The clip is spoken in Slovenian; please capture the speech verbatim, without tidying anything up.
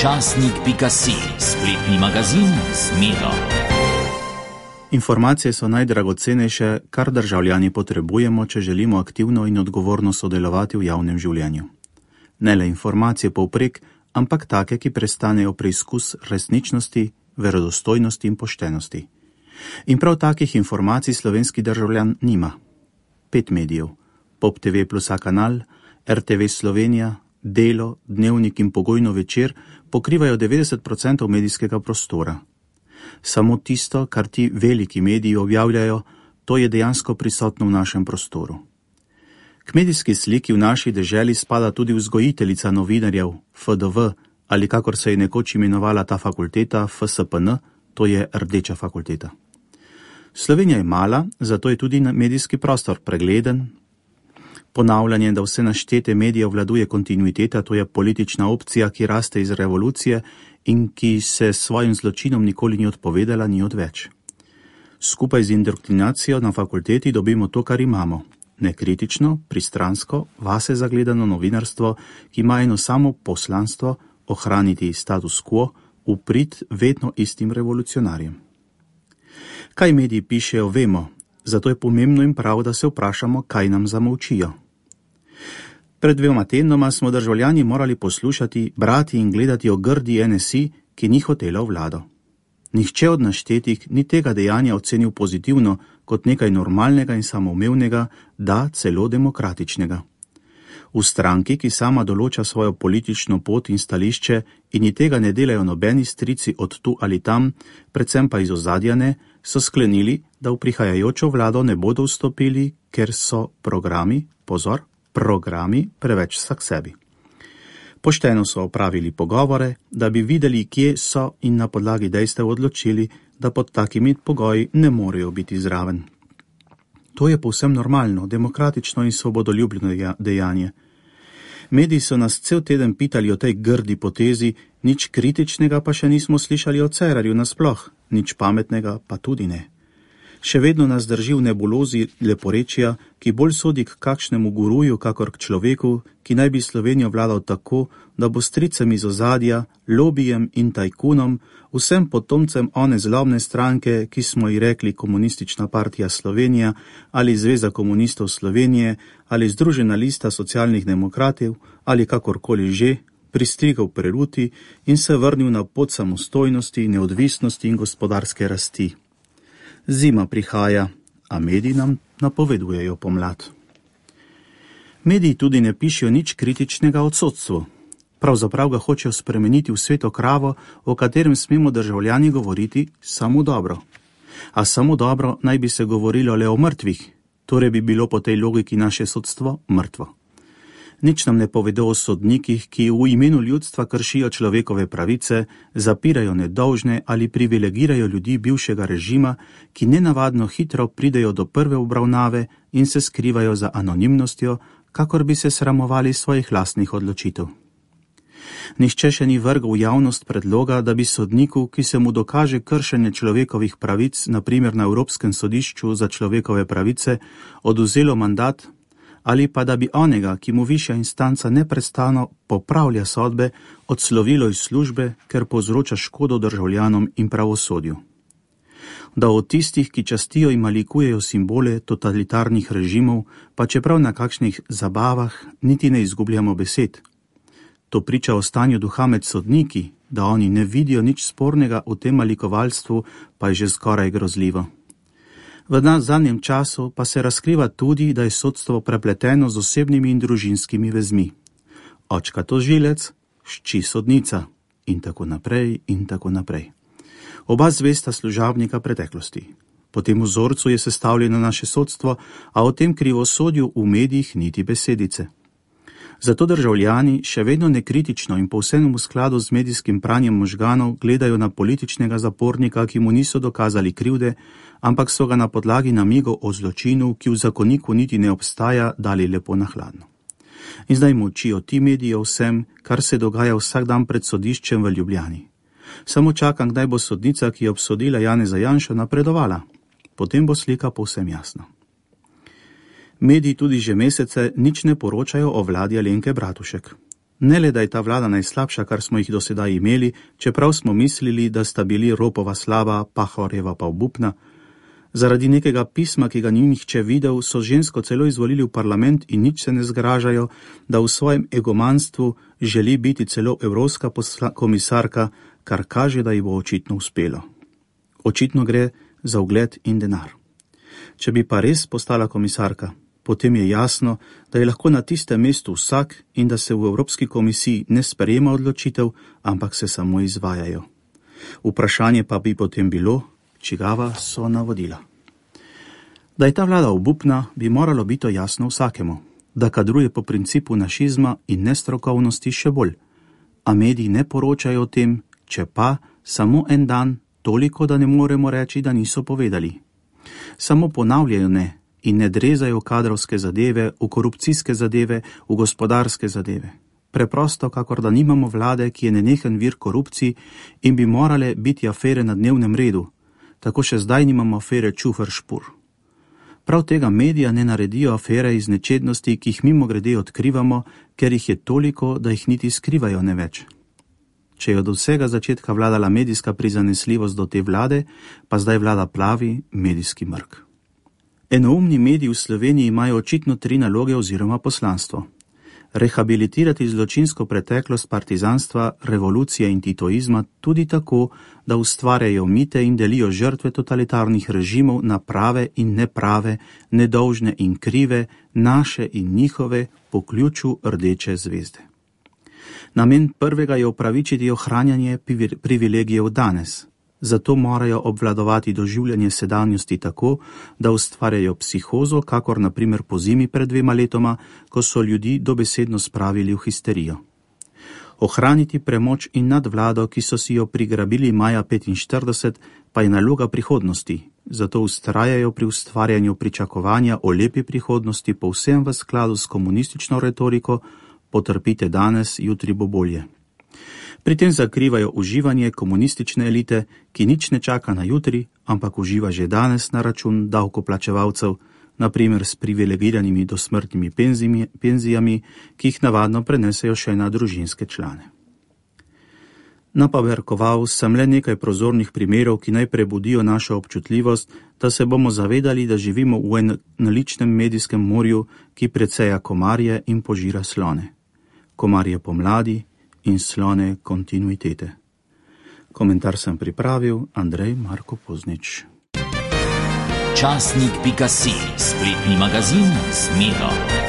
časnik pika si, spletni magazin z Miro. Informacije so najdragocenejše, kar državljani potrebujemo, če želimo aktivno in odgovorno sodelovati v javnem življenju. Ne le informacije povprek, ampak take, ki prestanejo preizkus resničnosti, verodostojnosti in poštenosti. In prav takih informacij slovenski državljan nima. Pet medijev, Pop T V plus A kanal, R T V Slovenija, Delo, Dnevnik in Pogojno večer pokrivajo devetdeset procentov medijskega prostora. Samo tisto, kar ti veliki mediji objavljajo, to je dejansko prisotno v našem prostoru. K medijski sliki v naši deželi spada tudi vzgojiteljica novinarjev, F D V, ali kakor se je nekoč imenovala ta fakulteta, F S P N, to je Rdeča fakulteta. Slovenija je mala, zato je tudi medijski prostor pregleden. Ponavljanje, da vse naštete medije vladuje kontinuiteta, to je politična opcija, ki raste iz revolucije in ki se s svojim zločinom nikoli ni odpovedala, ni odveč. Skupaj z indoktrinacijo na fakulteti dobimo to, kar imamo. Nekritično, pristransko, vase zagledano novinarstvo, ki ima eno samo poslanstvo, ohraniti status quo, v prid vedno istim revolucionarjem. Kaj mediji pišejo, vemo, zato je pomembno in prav, da se vprašamo, kaj nam zamolčijo. Pred dvema tednoma smo državljani morali poslušati, brati in gledati o grdi N S I, ki ni hotela v vlado. Nihče od naštetih ni tega dejanja ocenil pozitivno kot nekaj normalnega in samoumevnega, da celo demokratičnega. V stranki, ki sama določa svojo politično pot in stališče in ji tega ne delajo nobeni strici od tu ali tam, predvsem pa iz ozadja ne, so sklenili, da v prihajajočo vlado ne bodo vstopili, ker so programi, pozor, programi preveč vsak sebi. Pošteno so opravili pogovore, da bi videli, kje so in na podlagi dejstev odločili, da pod takimi pogoji ne morejo biti zraven. To je povsem normalno, demokratično in svobodoljubno dejanje. Mediji so nas cel teden pitali o tej grdi potezi, nič kritičnega pa še nismo slišali o Cerarju nasploh, nič pametnega pa tudi ne. Še vedno nas drži v nebulozi leporečja, ki bolj sodi k kakšnemu guruju, kakor k človeku, ki naj bi Slovenijo vladal tako, da bo stricem iz ozadja, lobijem in tajkunom, vsem potomcem one zlobne stranke, ki smo ji rekli Komunistična partija Slovenija ali Zveza komunistov Slovenije ali Združena lista socialnih demokratov ali kakorkoli že, pristrigal peruti in se vrnil na pot samostojnosti, neodvisnosti in gospodarske rasti. Zima prihaja, a mediji nam napovedujejo pomlad. Mediji tudi ne pišejo nič kritičnega o sodstvu. Pravzaprav ga hočejo spremeniti v sveto kravo, o katerem smemo državljani govoriti samo dobro. A samo dobro naj bi se govorilo le o mrtvih, torej bi bilo po tej logiki naše sodstvo mrtvo. Nič nam ne povedo o sodnikih, ki v imenu ljudstva kršijo človekove pravice, zapirajo nedolžne ali privilegirajo ljudi bivšega režima, ki nenavadno hitro pridejo do prve obravnave in se skrivajo za anonimnostjo, kakor bi se sramovali svojih lastnih odločitev. Nihče še ni vrgel v javnost predloga, da bi sodniku, ki se mu dokaže kršenje človekovih pravic, na primer na Evropskem sodišču za človekove pravice, odvzelo mandat, ali pa da bi onega, ki mu višja instanca neprestano popravlja sodbe, odslovilo iz službe, ker povzroča škodo državljanom in pravosodju. Da od tistih, ki častijo in malikujejo simbole totalitarnih režimov, pa čeprav na kakšnih zabavah niti ne izgubljamo besed. To priča o stanju duha med sodniki, da oni ne vidijo nič spornega v tem malikovalstvu, pa je že skoraj grozljivo. V zadnjem času pa se razkriva tudi, da je sodstvo prepleteno z osebnimi in družinskimi vezmi. Očka tožilec, šči sodnica in tako naprej in tako naprej. Oba zvesta služabnika preteklosti. Po tem vzorcu je sestavljeno naše sodstvo, a o tem krivosodju v medijih niti besedice. Zato državljani še vedno nekritično in povsem v skladu z medijskim pranjem možganov gledajo na političnega zapornika, ki mu niso dokazali krivde, ampak so ga na podlagi namigov o zločinu, ki v zakoniku niti ne obstaja, dali lepo na hladno. In zdaj molčijo ti mediji o vsem, kar se dogaja vsak dan pred sodiščem v Ljubljani. Samo čakam, kdaj bo sodnica, ki je obsodila Janeza Janšo, napredovala. Potem bo slika povsem jasna. Mediji tudi že mesece nič ne poročajo o vladi Alenke Bratušek. Ne le, da je ta vlada najslabša, kar smo jih do sedaj imeli, čeprav smo mislili, da sta bili Ropova slaba, Pahorjeva pa obupna. Zaradi nekega pisma, ki ga ni nihče videl, so žensko celo izvolili v parlament in nič se ne zgražajo, da v svojem egomanstvu želi biti celo evropska komisarka, kar kaže, da ji bo očitno uspelo. Očitno gre za ugled in denar. Če bi pa res postala komisarka, potem je jasno, da je lahko na tistem mestu vsak in da se v Evropski komisiji ne sprejema odločitev, ampak se samo izvajajo. Vprašanje pa bi potem bilo, čigava so navodila. Da je ta vlada obupna, bi moralo biti jasno vsakemu, da kadruje po principu našizma in nestrokovnosti še bolj. A mediji ne poročajo o tem, če pa samo en dan, toliko, da ne moremo reči, da niso povedali. Samo ponavljajo ne in ne drezajo kadrovske zadeve, v korupcijske zadeve, v gospodarske zadeve. Preprosto, kakor da nimamo vlade, ki je nenehen vir korupciji in bi morale biti afere na dnevnem redu. Tako še zdaj nimamo afere Čufer-Špur. Prav tega medija ne naredijo afere iz nečednosti, ki jih mimogrede odkrivamo, ker jih je toliko, da jih niti skrivajo ne več. Če je od vsega začetka vladala medijska prizanesljivost do te vlade, pa zdaj vlada plavi medijski mrk. Enoumni mediji v Sloveniji imajo očitno tri naloge oziroma poslanstvo. Rehabilitirati zločinsko preteklost partizanstva, revolucije in titoizma tudi tako, da ustvarjajo mite in delijo žrtve totalitarnih režimov na prave in neprave, nedolžne in krive, naše in njihove po ključu rdeče zvezde. Namen prvega je opravičiti ohranjanje privilegijev danes. Zato morajo obvladovati doživljanje sedanjosti tako, da ustvarjajo psihozo, kakor na primer po zimi pred dvema letoma, ko so ljudi dobesedno spravili v histerijo. Ohraniti premoč in nadvlado, ki so si jo prigrabili maja petinštirideset, pa je naloga prihodnosti, zato ustrajajo pri ustvarjanju pričakovanja o lepi prihodnosti povsem v skladu s komunistično retoriko, potrpite danes, jutri bo bolje. Pri tem zakrivajo uživanje komunistične elite, ki nič ne čaka na jutri, ampak uživa že danes na račun davkoplačevalcev, na primer s privilegiranimi dosmrtnimi penzijami, penzijami, ki jih navadno prenesejo še na družinske člane. Napaberkoval sem le nekaj prozornih primerov, ki naj prebudijo našo občutljivost, da se bomo zavedali, da živimo v enoličnem medijskem morju, ki preceja komarje in požira slone. Komarje pomladi in slone kontinuitete. Komentar sem pripravil Andrej Marko Poznič. Časnik pika si, spletni magazin z Miro.